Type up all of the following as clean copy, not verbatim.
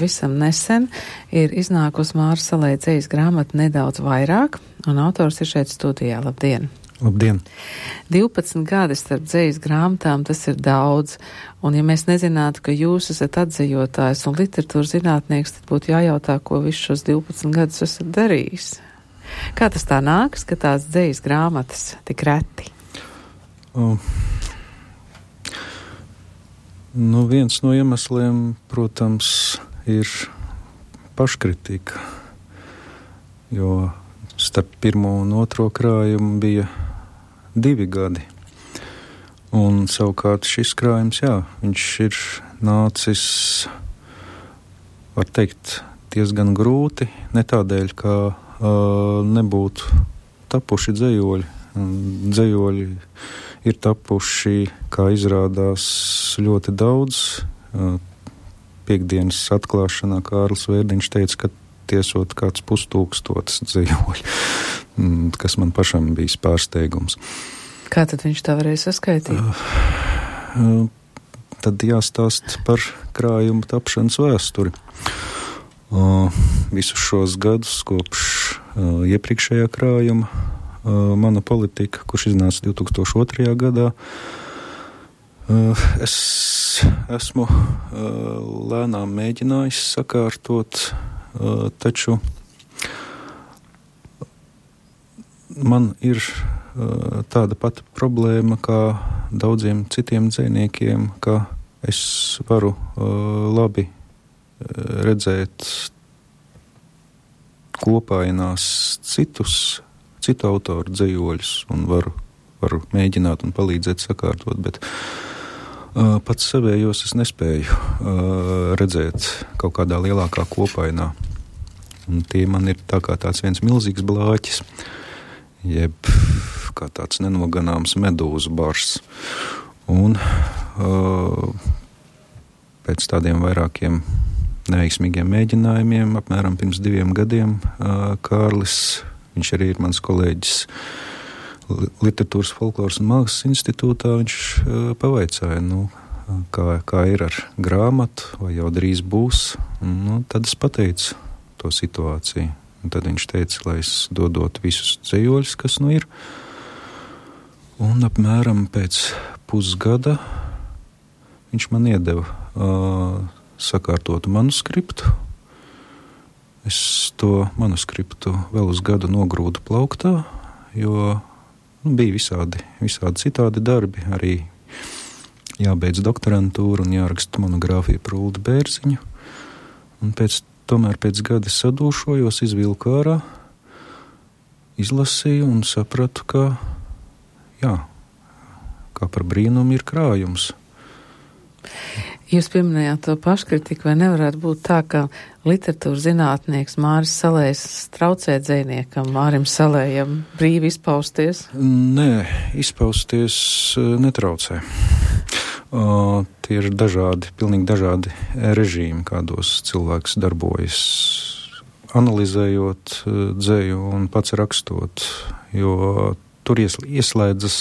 pavisam nesen ir iznākusi Māras Salē dzejas grāmata Nedaudz vairāk, un autors ir šeit studijā. Labdien! Labdien! 12 gadi starp dzejas grāmatām, tas ir daudz, un ja mēs nezinātu, ka jūs esat atzejotājs un literatūras zinātnieks, tad būtu jājautā, ko visus šos 12 gadus esat darījis. Kā tas tā nākas, ka tās dzejas grāmatas tik reti? Viens no iemesliem, protams, ir paškritika, jo starp pirmo un otro krājumu bija 2 gadi. Un savukārt šis krājums, viņš ir nācis, var teikt, diezgan grūti, ne tādēļ, ka nebūtu tapuši dzejoļi. Dzejoļi ir tapuši, kā izrādās, ļoti daudz. Piektdienas atklāšanā Kārlis Vērdiņš teica, ka tiesot kāds 5000 dzejoļi, kas man pašam bijis pārsteigums. Kā tad viņš tā varēja saskaitīt? Tad jāstāst par krājumu tapšanas vēsturi. Visus šos gadus kopš iepriekšējā krājuma Mana politika, kurš iznāca 2002. gadā, es esmu lēnām mēģinājis sakārtot, taču man ir tāda pati problēma kā daudziem citiem dzejniekiem, ka es varu labi redzēt kopainās citu autoru dzejoļus un varu mēģināt un palīdzēt sakārtot, bet pats savējos es nespēju redzēt kaut kādā lielākā kopainā. Un tie man ir tā kā tāds viens milzīgs blāķis, jeb kā tāds nenoganāms medūzu bars. Un pēc tādiem vairākiem neveiksmīgiem mēģinājumiem, apmēram pirms 2 gadiem, Kārlis, viņš arī ir mans kolēģis Literatūras, folkloras un mākslas institūtā, viņš pavaicāja, kā ir ar grāmatu, vai jau drīz būs. Tad es pateicu to situāciju. Un tad viņš teica, lai es dodot visus dzejoļus, kas ir. Un apmēram pēc pusgada viņš man iedeva sakārtotu manuskriptu. Es to manuskriptu vēl uz gadu nogrūdu plauktā, jo bija visādi citādi darbi, arī jābeidz doktorantūra un jāraksta monogrāfija par Uldi Bērziņu. Un tomēr pēc gada sadūšojos, izvilku ārā, izlasīju un sapratu, ka kā par brīnumu ir krājums. Jūs pieminējāt to paškritiku, vai nevarētu būt tā, ka literatūras zinātnieks Māris Salējs traucē dzejniekam Mārim Salējam brīvi izpausties? Nē, izpausties netraucē. Tie ir pilnīgi dažādi režīmi, kādos cilvēks darbojas, analizējot dzeju un pats rakstot, jo tur ieslēdzas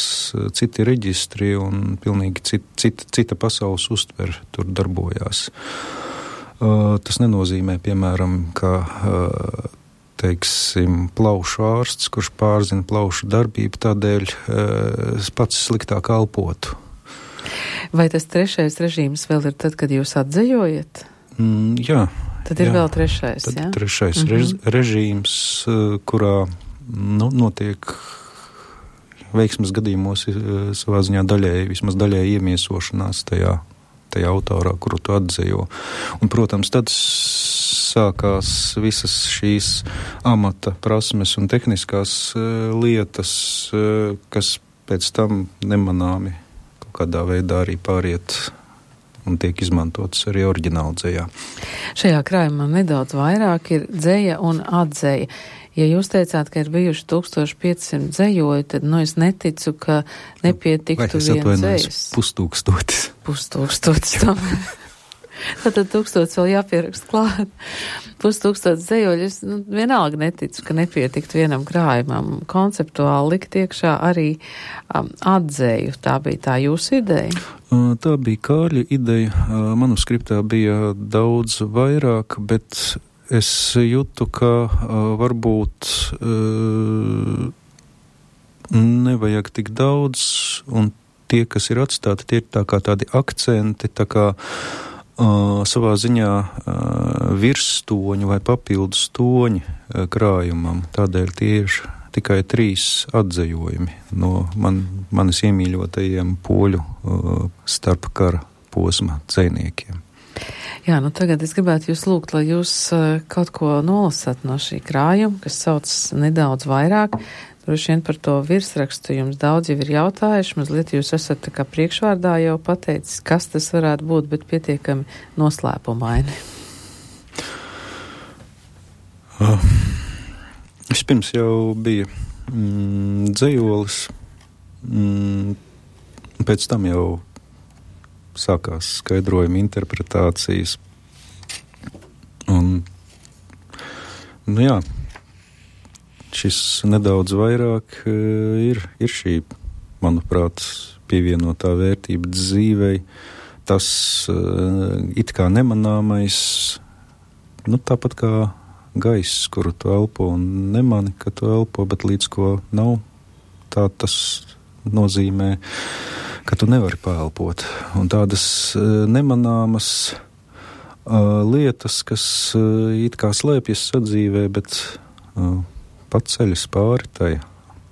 citi reģistri un pilnīgi cita pasaules uztver tur darbojās. Tas nenozīmē, piemēram, ka, plaušu ārsts, kurš pārzina plaušu darbību, tādēļ pats sliktāk elpotu. Vai tas 3. režīms vēl ir tad, kad jūs atzejojat? Jā. Tad ir vēl 3. Tad 3. režīms, kurā notiek veiksmes gadījumos savā ziņā vismaz daļēji iemiesošanās tajā autorā, kuru tu atdzejo. Un, protams, tad sākās visas šīs amata prasmes un tehniskās lietas, kas pēc tam nemanāmi kaut kādā veidā arī pāriet un tiek izmantotas arī oriģināla dzejā. Šajā krājumā nedaudz vairāk ir dzeja un atdzeja. Ja jūs teicāt, ka ir bijuši 1500 dzejoļi, tad es neticu, ka nepietiktu viens dzejas. 5000. 5000 tomēr. Tad 1000 vēl jāpierakst klāt. 5000 dzejoļu. Es vienalga neticu, ka nepietiktu vienam krājumam. Konceptuāli likt iekšā arī atzēju. Tā bija tā jūsu ideja? Tā bija Kārļa ideja. Manuskriptā bija daudz vairāk, bet es jūtu, ka varbūt nevajag tik daudz, un tie, kas ir atstāti, tie ir tā kā tādi akcenti, tā kā savā ziņā virsstoņi vai papildus toņi krājumam. Tādēļ tie ir tikai 3 atzējojumi no manis iemīļotajiem poļu starpkara posma dzejniekiem. Jā, tagad es gribētu jūs lūgt, lai jūs kaut ko nolasat no šī krājuma, kas sauc nedaudz vairāk. Droši vien par to virsrakstu jums daudz jau ir jautājuši, mazliet jūs esat tā kā priekšvārdā jau pateicis, kas tas varētu būt, bet pietiekami noslēpumaini. Vispirms jau bija dzejolis, pēc tam jau sākās skaidrojuma interpretācijas. Un, jā, šis nedaudz vairāk ir šī, manuprāt, pievienotā vērtība dzīvei, tas it kā nemanāmais, tāpat kā gaiss, kuru tu elpo un nemani, ka tu elpo, bet līdz ko nav, tā tas nozīmē, ka tu nevari paelpot. Un tādas nemanāmas lietas, kas it kā slēpjas sadzīvē, bet pat ceļas pāri tai,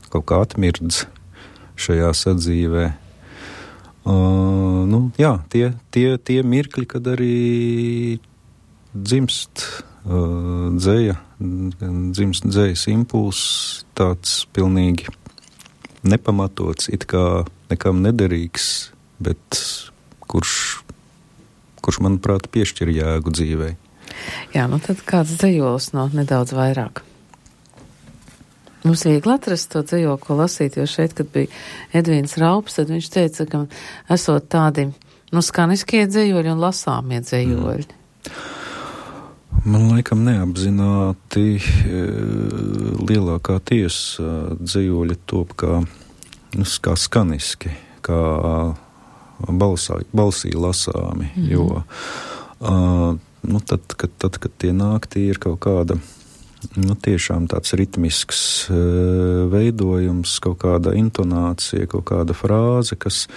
kaut kā atmirdz šajā sadzīvē. Jā, tie mirkļi, kad arī dzimst dzējas impulss, tāds pilnīgi nepamatots, it kā nekam nederīgs, bet kurš manuprāt, piešķir jēgu dzīvei. Jā, tad kāds dzejolis no nedaudz vairāk? Mums viegli atrast to dzejoli, ko lasīt, jo šeit, kad bija Edvīns Raups, tad viņš teica, ka esot tādi, skaniskie dzejoļi un lasāmie dzejoļi. Man laikam neapzināti lielākā tiesa dzejoļi top kā skaniski, kā balsī lasāmi, jo tad, kad tie nāk, tie ir kaut kāda tiešām tāds ritmisks veidojums, kaut kāda intonācija, kaut kāda frāze, kas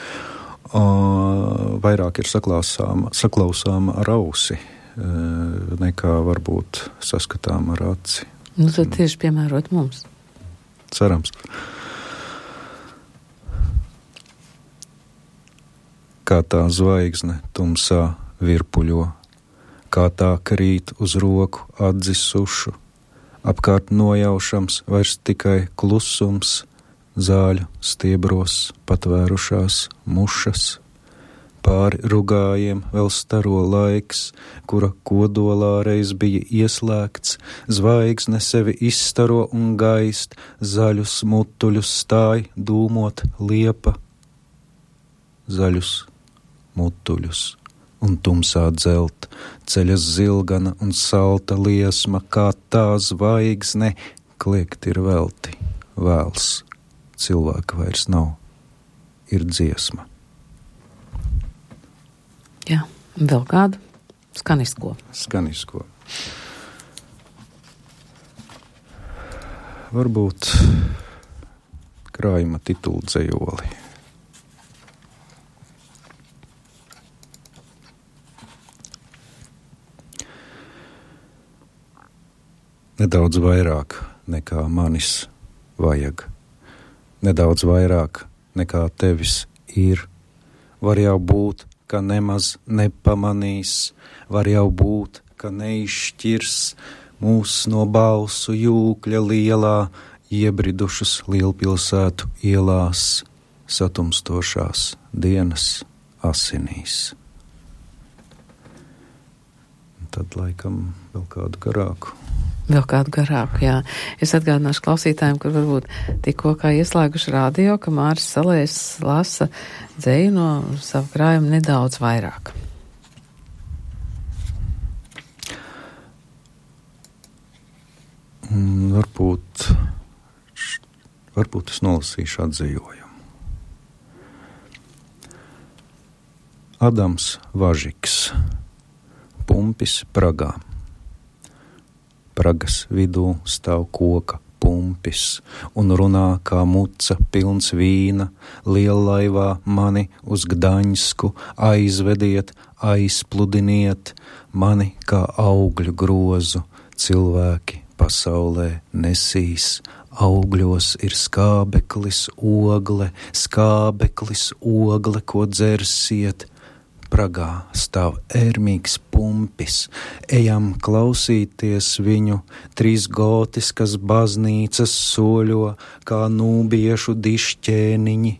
vairāk ir saklausāma ar ausi, nekā varbūt saskatām ar aci. Tad tieši piemērot mums. Cerams. Kā tā zvaigzne tumsā virpuļo, kā tā krīt uz roku atdzisušu, apkārt nojaušams vairs tikai klusums, zāļu stiebros patvērušās mušas, pāri rugājiem vēl staro laiks, kura kodolā reiz bija ieslēgts, zvaigzne sevi izstaro un gaist, zaļus mutuļus stāj dūmot liepa, zaļus mutuļus un tumsā dzelt, ceļas zilgana un salta liesma, kā tā zvaigzne, kliegt ir velti, vēls, cilvēka vairs nav, ir dziesma. Jā, vēl kādu? Skanisko. Varbūt krājuma titulu dzejoli. Nedaudz vairāk nekā manis vajag, nedaudz vairāk nekā tevis ir, var jau būt, ka nemaz nepamanīs, var jau būt, ka neizšķirs mūs no balsu jūkļa lielā, iebridušas lielpilsētu ielās, satumstošās dienas asinīs. Tad laikam vēl kādu garāku. Jā. Es atgādināšu klausītājiem, kur varbūt tikko kā ieslēguši radio, ka Māris Salējs lasa dzeju no savu krājumu nedaudz vairāk. varbūt es nolasīšu atzījojumu. Adams Važiks, pumpis Pragā. Pragas vidū stāv koka pumpis un runā kā muca pilns vīna. Liellaivā mani uz Gdaņsku aizvediet, aizpludiniet, mani kā augļu grozu cilvēki pasaulē nesīs. Augļos ir skābeklis ogle, ko dzersiet. Pragā stāv ērmīgs pumpis, ejam klausīties viņu, 3 gotiskas baznīcas soļo, kā nūbiešu dišķēniņi.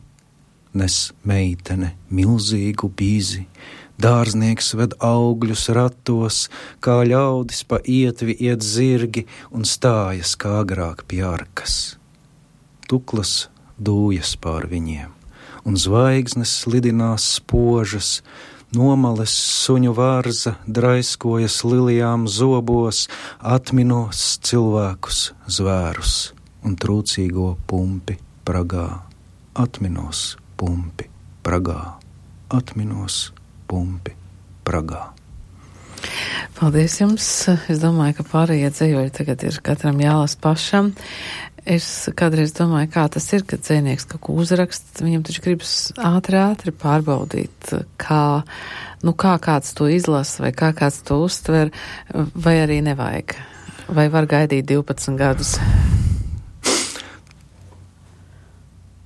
Nes meitene milzīgu bīzi, dārznieks ved augļus ratos, kā ļaudis pa ietvi iet zirgi un stājas kā agrāk pie arkas. Tuklas dūjas pār viņiem, un zvaigznes slidinās spožas, nomales suņu vārza draiskojas lilijām zobos, atminos cilvēkus, zvērus un trūcīgo pumpi Pragā. Atminos pumpi Pragā, atminos pumpi Pragā. Paldies jums. Es domāju, ka pārējie dzējoļi tagad ir katram jālas pašam. Es kādreiz domāju, kā tas ir, kad dzēnieks kaut ko uzraksta, viņam taču gribas ātri pārbaudīt, kā kāds to izlasa, vai kā kāds to uztver, vai arī nevajag. Vai var gaidīt 12 gadus?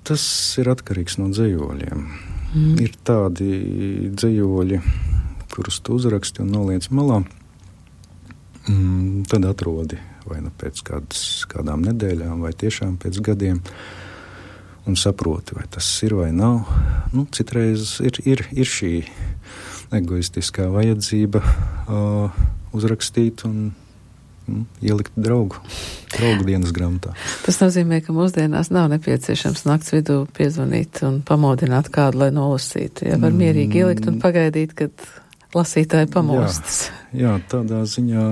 Tas ir atkarīgs no dzējoļiem. Ir tādi dzējoļi, kurus tu uzraksti un noliec malā, tad atrodi vai nu pēc kādām nedēļām, vai tiešām pēc gadiem, un saproti, vai tas ir vai nav. Citreiz ir šī egoistiskā vajadzība uzrakstīt un ielikt draugu dienas grāmatā. Tas nozīmē, ka mūsdienās nav nepieciešams nakts vidū piezvanīt un pamodināt kādu, lai nolasītu. Ja var mierīgi ielikt un pagaidīt, kad lasītāji pamostas. Jā, tādā ziņā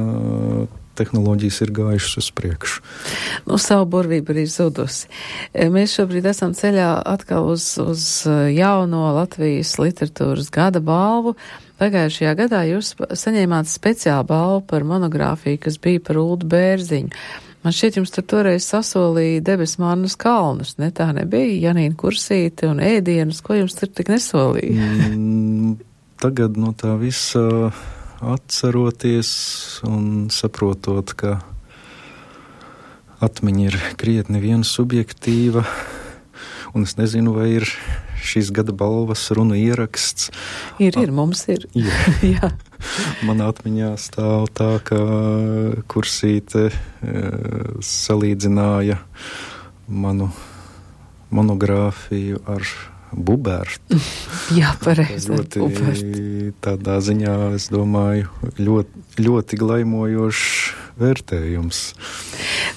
tehnoloģijas ir gājušas uz priekšu. Savu burvību arī zudusi. Mēs šobrīd esam ceļā atkal uz jauno Latvijas literatūras gada balvu. Pagājušajā gadā jūs saņēmāt speciālu balvu par monogrāfiju, kas bija par Uldu Bērziņu. Man šķiet, jums tur toreiz sasolīja Debesmannas kalnus, ne tā nebija? Janīna Kursīte un ēdienus, ko jums tur tik nesolīja? Tagad no tā visa atceroties un saprotot, ka atmiņa ir krietni viena subjektīva, un es nezinu, vai ir šīs gada balvas runu ieraksts. Ir, mums ir. Jā. Manā atmiņā stāv tā, ka Kursīte salīdzināja manu monogrāfiju ar Bubertu. Jā, pareizi. Tādā ziņā, es domāju, ļoti glaimojošs vērtējums.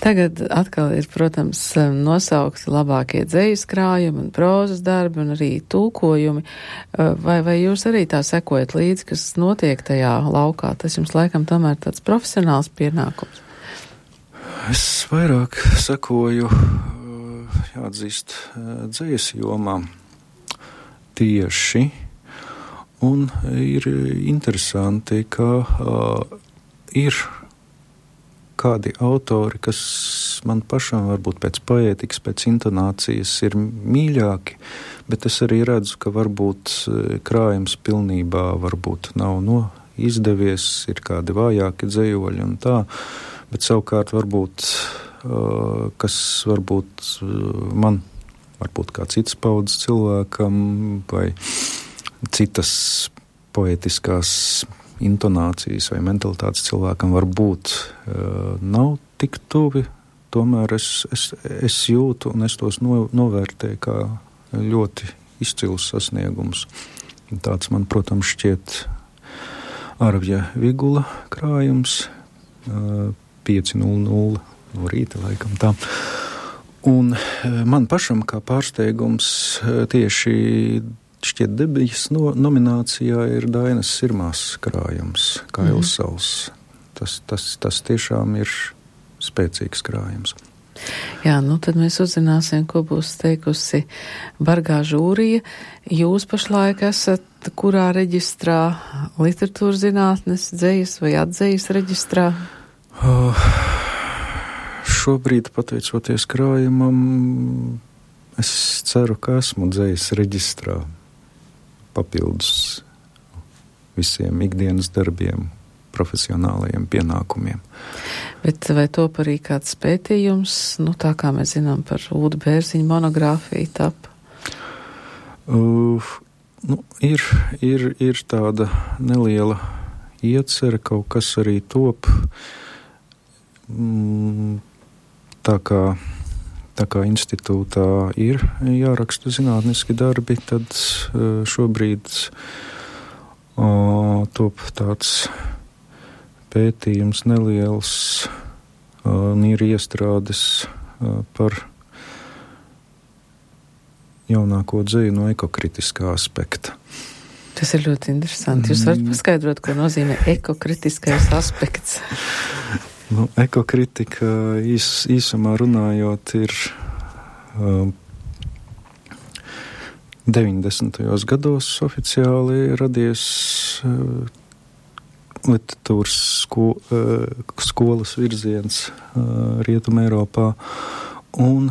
Tagad atkal ir, protams, nosaukti labākie dzejas krājumi un prózas darbi un arī tulkojumi. Vai jūs arī tā sekojat līdzi, kas notiek tajā laukā? Tas jums laikam tomēr tāds profesionāls pienākums. Es vairāk sekoju, jāatzīst, dzejas jomā. Tieši, un ir interesanti, ka ir kādi autori, kas man pašam varbūt pēc poētikas, pēc intonācijas ir mīļāki, bet es arī redzu, ka varbūt krājums pilnībā varbūt nav izdevies, ir kādi vājāki dzejoļi un tā, bet savukārt varbūt, kas varbūt man varbūt kā cits paudzes cilvēkam vai citas poētiskās intonācijas vai mentalitātes cilvēkam varbūt nav tik tuvi, tomēr es jūtu un es tos novērtēju kā ļoti izcils sasniegums. Tāds man, protams, šķiet Arvja Vigula krājums 5:00 no rīta laikam tā. Un man pašam kā pārsteigums tieši šķiet debijas nominācijā ir Dainas Sirmās krājums, kā Ilsals. Tas tiešām ir spēcīgs krājums. Jā, nu tad mēs uzzināsim, ko būs teikusi bargā žūrija. Jūs pašlaik esat kurā reģistrā? Literatūras zinātnes, dzejas vai atdzejas reģistrā? Šobrīd, pateicoties krājumam, es ceru, ka esmu dzejas reģistrā papildus visiem ikdienas darbiem, profesionālajiem pienākumiem. Bet vai top arī kāds pētījums, nu tā kā mēs zinām par Ulda Bērziņa monogrāfiju tapa? Ir tāda neliela iecerē, kaut kas arī top. Tā kā institūtā ir jāraksta zinātniski darbi, tad šobrīd top tāds pētījums neliels, ir iestrādes par jaunāko dzeju no ekokritiskā aspekta. Tas ir ļoti interesanti. Jūs varat paskaidrot, ko nozīmē ekokritiskais aspekts? Ekokritika īsumā runājot ir 90. gados oficiāli radies literatūras skolas virziens Rietumē Eiropā, un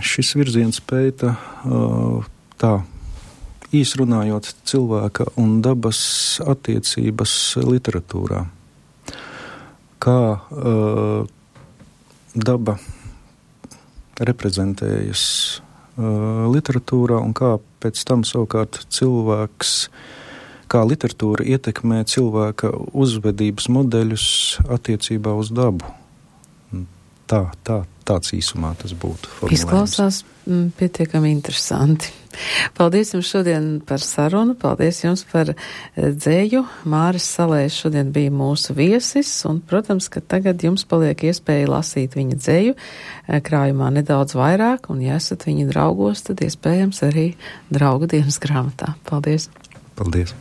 šis virziens pēta tā īsrunājot cilvēka un dabas attiecības literatūrā. Kā daba reprezentējas literatūrā un kā pēc tam savukārt cilvēks, kā literatūra ietekmē cilvēka uzvedības modeļus attiecībā uz dabu. Tāds īsumā tas būtu formulējums. Izklausās pietiekami interesanti. Paldies jums šodien par sarunu, paldies jums par dzēju. Māris Salējs šodien bija mūsu viesis, un, protams, ka tagad jums paliek iespēja lasīt viņa dzēju krājumā nedaudz vairāk, un, ja esat viņa draugos, tad iespējams arī draugu dienas grāmatā. Paldies! Paldies!